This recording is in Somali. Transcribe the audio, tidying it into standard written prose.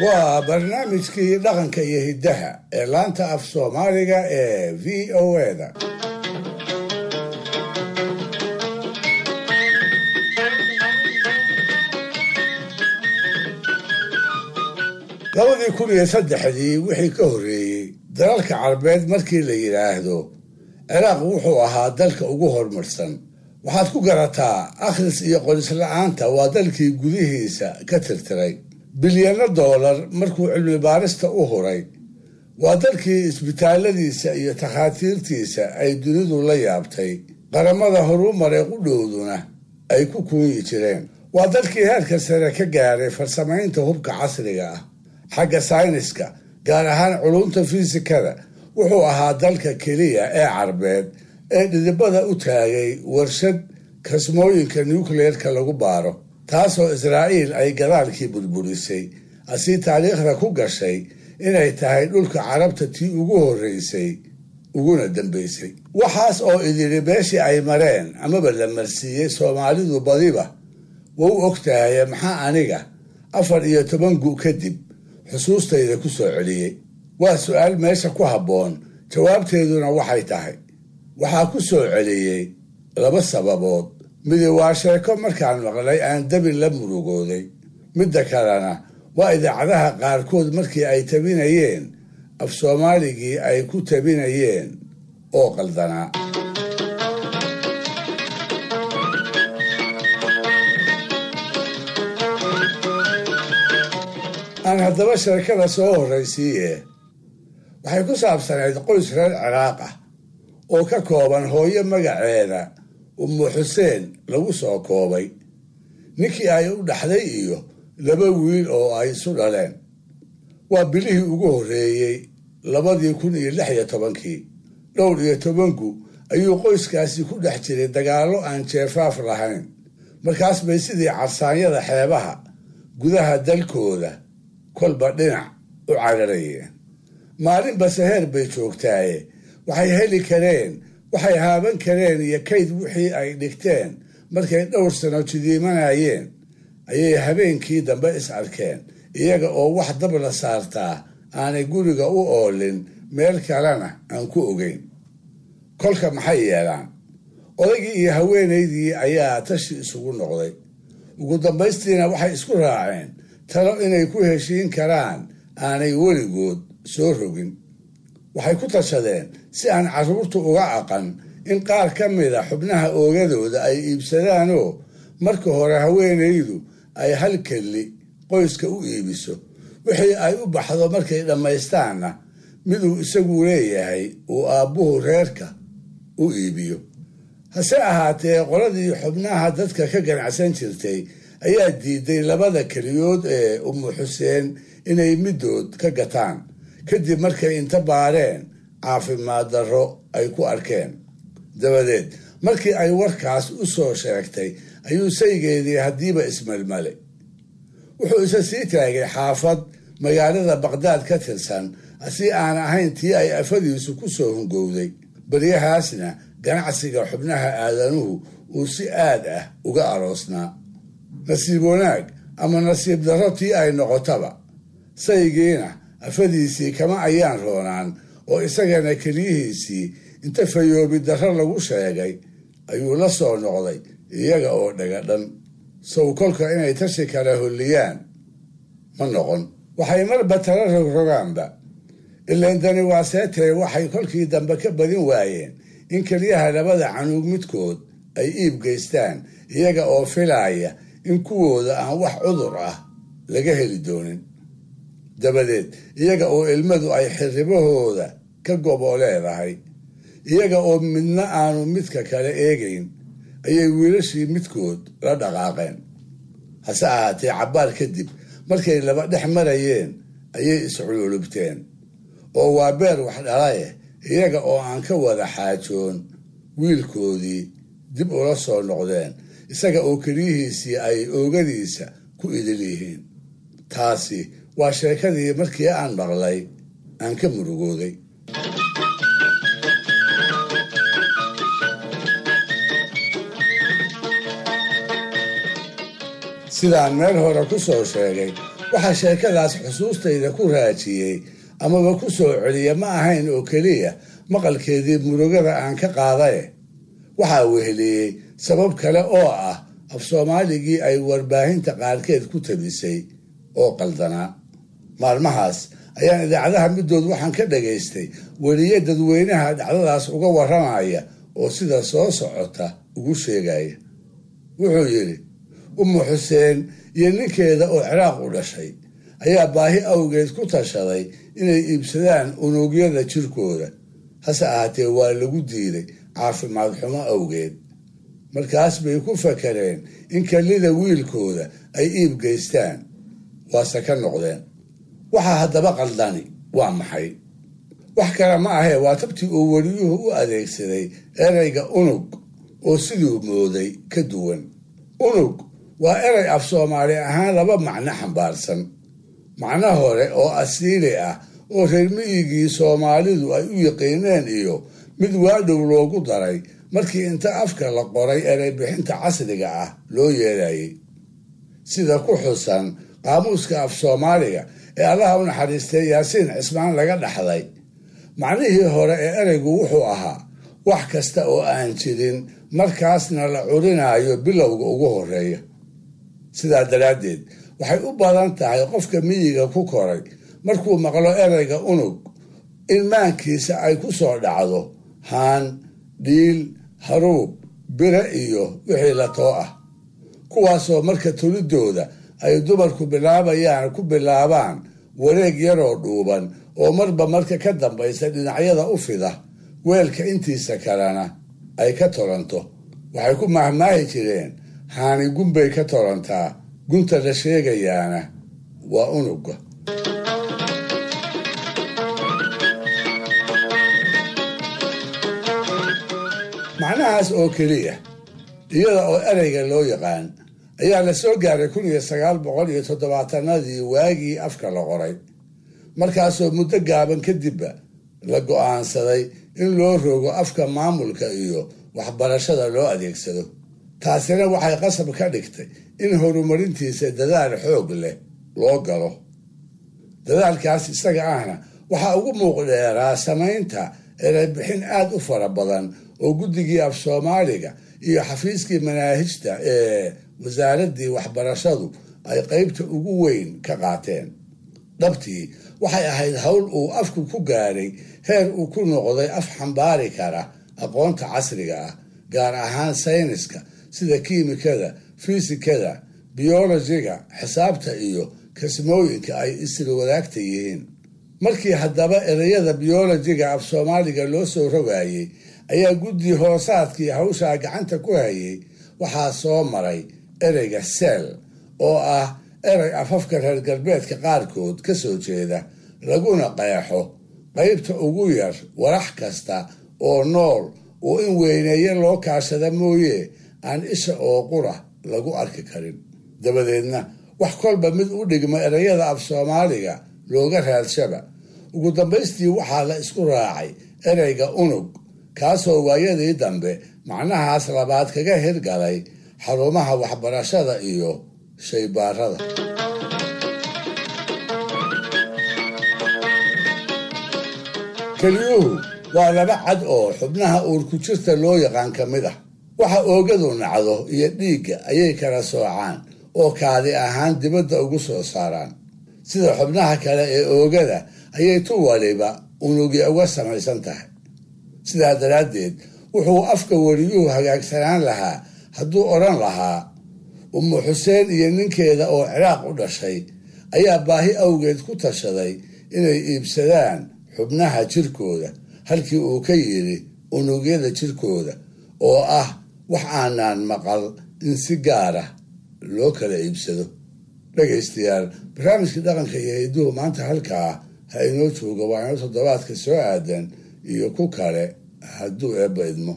Waa barnaamijkii dhaqanka iyo hiddaha ee laanta af Soomaaliga ee VOA-da. 2003-dii wixii ka horreeyey, dalalka Carbeed markii la yidhaahdo, Ciraaq wuxuu ahaa dalka ugu horumarsan. Waxaad ku garataa akhris iyo qoris la-aanta waa dalkii gudihiisa ka tirtiray bilyano doolar markuu cilmi baarista u huray. Waa dalkii isbitaalladiisa iyo takhaatiirtiisa ay dunidu la yaabtay, qaramada horumaray qudhowduna ay ku kuunyi jireen. Waa dalkii heerka sare ka gaaray farsamaynta hubka casriga ah. Xagga sayniska, gaar ahaan culumta fiisikada, wuxuu ahaa dalka keliya ee Carbeed ee dhidibada u taagay warshad kasmooyinka nucleerka lagu baaro, taasoo Israa'iil ay gadaalkii burburisay, asii taariikhda ku gashay inay tahay dhulka Carabta tii ugu horreysay uguna dambaysay. Waxaas oo idili beeshii ay mareen amaba la marsiiyey, Soomaalidu badiba wau og tahaye, maxaa aniga 14 gu kadib xusuustayda ku soo celiyey? Waa su-aal meesha ku habboon. Jawaabteeduna waxay tahay, waxaa ku soo celiyey laba sababood. Midi waa sheeko markaan maqlay aan dabi la murugooday, midda kalena waa idaacadaha qaarkood markii ay tabinayeen af Soomaaligii ay ku tabinayeen oo qaldanaa. Aan haddaba sheekada soo horraysiiye. Waxay ku saabsanayd qoys reer Ciraaq ah oo ka kooban hooyo magaceeda Ummu Xuseen lagu soo koobay, ninkii ay u dhaxday iyo laba wiil oo ay isu dhaleen. Waa bilihii ugu horreeyey 2016-kii. Dhowr iyo tobanku ayuu qoyskaasi ku dhex jiray dagaallo aan jeefaaf lahayn. Markaas bay sidii carsaanyada xeebaha gudaha dalkooda kolba dhinac u cararayeen. Maalinba saheer bay joogtaaye, waxay heli kareen, waxay haaban kareen iyo kayd wixii ay dhigteen markay dhowr sano jidiimanayeen, ayay habeenkii dambe is arkeen iyaga oo wax dab la saartaa aanay guriga u oolin, meel kalena aan ku ogeyn. Kolka maxay yeelaan? Odaygii iyo haweenaydii ayaa tashi isugu noqday. Ugu dambaystiina waxay isku raaceen talo inay ku heshiin karaan aanay weligood soo rogin. Waxay ku tashadeen si aan carruurtu uga aqan in qaar ka mida xubnaha oogadooda ay iibsadaanoo marka hore haweenaydu ay hal kelli qoyska u iibiso, wixii ay u baxdo markay dhammaystaanna miduu isagu leeyahay uu aabbuhu reerka u iibiyo. Hase ahaatee, qoladii xubnaha dadka ka ganacsan jirtay ayaa diiday labada keliyood ee Ummu Xuseen inay middood ka gataan, kadib markay inta baareen caafimaad darro ay ku arkeen. Dabadeed markii ay warkaas u soo sheegtay ayuu saygeedii haddiiba ismalmalay. Wuxuu isa sii taagay xaafad magaalada Baqdaad ka tirsan, si aan ahayn tii ay afadiisu ku soo hungowday. Baryahaasna ganacsiga xubnaha aadanuhu uu si aad ah uga aroosnaa. Nasiib wanaag ama nasiib darro tii ay noqotaba, saygiina afadiisii kama ayaan roonaan oo isagana keliyihiisii inta fayoobi darro lagu sheegay ayuu la soo noqday iyaga oo dhagadhan. Sow kolka inay tashi kala holliyaan ma noqon. Waxay marba tala rogrogaanba, ilaan dani waa seetee, waxay kolkii dambe ka badin waayeen in keliyaha labada canuug midkood ay iib geystaan, iyaga oo filaaya in kuwooda aan wax cudur ah laga heli doonin. Dabadeed iyaga oo ilmadu ay xirribahooda ka gobo leedahay, iyaga oo midna aanu midka kale eegayn, ayay wiilashii midkood la dhaqaaqeen. Hase ahaatee, cabbaar kadib markay laba dhex marayeen ayay iscululubteen oo waa beer wax dhalaye, iyaga oo aan ka wada xaajoon wiilkoodii dib ula soo noqdeen, isaga oo keliyihiisii ay oogadiisa ku idil yihiin. Taasi waa sheekadii markii aan maqlay aan ka murugooday. Sidaan meel hore ku soo sheegay, Waxaa sheekadaas xusuustayda ku raajiyey amaba ku soo celiya ma ahayn oo keliya maqalkeedii murugada aan ka qaadaye. Waxaa weheliyey sabab kale oo ah af soomaaligii ay warbaahinta qaarkeed ku tabisay oo qaldanaa. Maalmahaas ayaan idaacadaha middood waxaan ka dhagaystay weliye dadweynaha dhacdadaas uga warramaya oo sida soo socota ugu sheegaya. Wuxuu yidhi, Ummu Xuseen iyo ninkeeda oo Ciraaq u dhashay ayaa baahi awgeed ku tashaday inay iibsadaan unugyada jirkooda, hase ahaatee waa lagu diiday caafimaad xumo awgeed. Markaas bay ku fakareen in kelida wiilkooda ay iib geystaan, waase ka noqdeen. Waxaa haddaba qaldani waa maxay? Wax kale ma ahee, waa tabtii uu weliyuhu u adeegsaday ereyga unug oo siduu mooday ka duwan. Unug waa erey af soomaali ahaan laba macno xambaarsan. Macno hore oo asiili ah oo reer miyigii Soomaalidu ay u yiqiineen iyo mid waadhow loogu daray markii inta afka la qoray erey bixinta casriga ah loo yeelayay. Sida ku xusan qaamuuska af soomaaliga ee Allaha u naxariistay Yaasiin Cismaan laga dhaxlay, macnihii hore ee ereygu wuxuu ahaa wax kasta oo aan jirin markaasna la curinaayo bilowga ugu horreeya. Sidaa daraaddeed waxay u badan tahay qofka miyiga ku koray markuu maqlo ereyga unug in maankiisa ay ku soo dhacdo haan, dhiil, haruub, bire iyo wixii la too ah, kuwaasoo marka tolidooda ay dumarku bilaabayaan ku bilaabaan wareeg yaroo dhuuban oo marba marka ka dambaysa dhinacyada u fida, weelka intiisa kalena ay ka tolanto. Waxay ku mahmaahi jireen haani gunbay ka tolantaa, gunta la sheegayaana waa unugga. Macnahaas oo keliya iyada oo ereyga loo yaqaan ayaa la soo gaaray 1970-adii waagii afka la qoray, markaasoo muddo gaaban kadibba la go'aansaday in loo rogo afka maamulka iyo waxbarashada loo adeegsado. Taasina waxay qasab ka dhigtay in horumarintiisa dadaal xoog leh loo galo. Dadaalkaas isaga ahna waxaa ugu muuqdheeraa samaynta ereybixin aad u fara badan oo guddigii af soomaaliga iyo xafiiskii manaahijta ee wasaaraddii waxbarashadu ay qaybta ugu weyn ka qaateen. Dhabtii waxay ahayd hawl uu afku ku gaaray heer uu ku noqday af xambaari kara aqoonta casriga ah, gaar ahaan sayniska sida kiimikada, fiisikada, biyolojiga, xisaabta iyo kasmooyinka ay isla wadaagta yihiin. Markii haddaba ereyada biyolojiga af soomaaliga loo soo rogayey ayaa guddi hoosaadkii hawshaa gacanta ku hayay waxaa soo maray ereyga seel oo ah erey afafka reer galbeedka qaarkood ka soo jeeda, laguna qeexo qaybta ugu yar warax kasta oo nool oo in weyneeye loo kaashada mooye aan isha oo qura lagu arki karin. Dabadeedna wax kolba mid u dhigma ereyada af soomaaliga looga raadshaba. Ugu dambaystii waxaa la isku raacay ereyga unug, kaasoo waayadii dambe macnahaas labaad kaga hirgalay xarumaha waxbarashada iyo shaybaarada. Keliyuhu waa laba cad oo xubnaha uurku-jirta loo yaqaan ka mid ah. Waxa oogadu nacdo iyo dhiigga ayay kala soocaan oo kaadi ahaan dibadda ugu soo saaraan. Sida xubnaha kale ee oogada ayay tu waliba unugya uga samaysan tahay. Sidaa daraaddeed wuxuu afka weliyuhu hagaagsanaan lahaa hadduu odhan lahaa Ummu Xuseen iyo ninkeeda oo Ciraaq u dhashay ayaa baahi awgeed ku tashaday inay iibsadaan xubnaha jirkooda, halkii uu ka yidhi unugyada jirkooda oo ah wax aanaan maqal in si gaara loo kala iibsado. Dhegaystayaal, barnaamijkii dhaqanka iyo hidduhu maanta halkaa ha inoo joogo. Waa inoo toddobaadka soo aadan iyo ku kale hadduu Eebba idmo.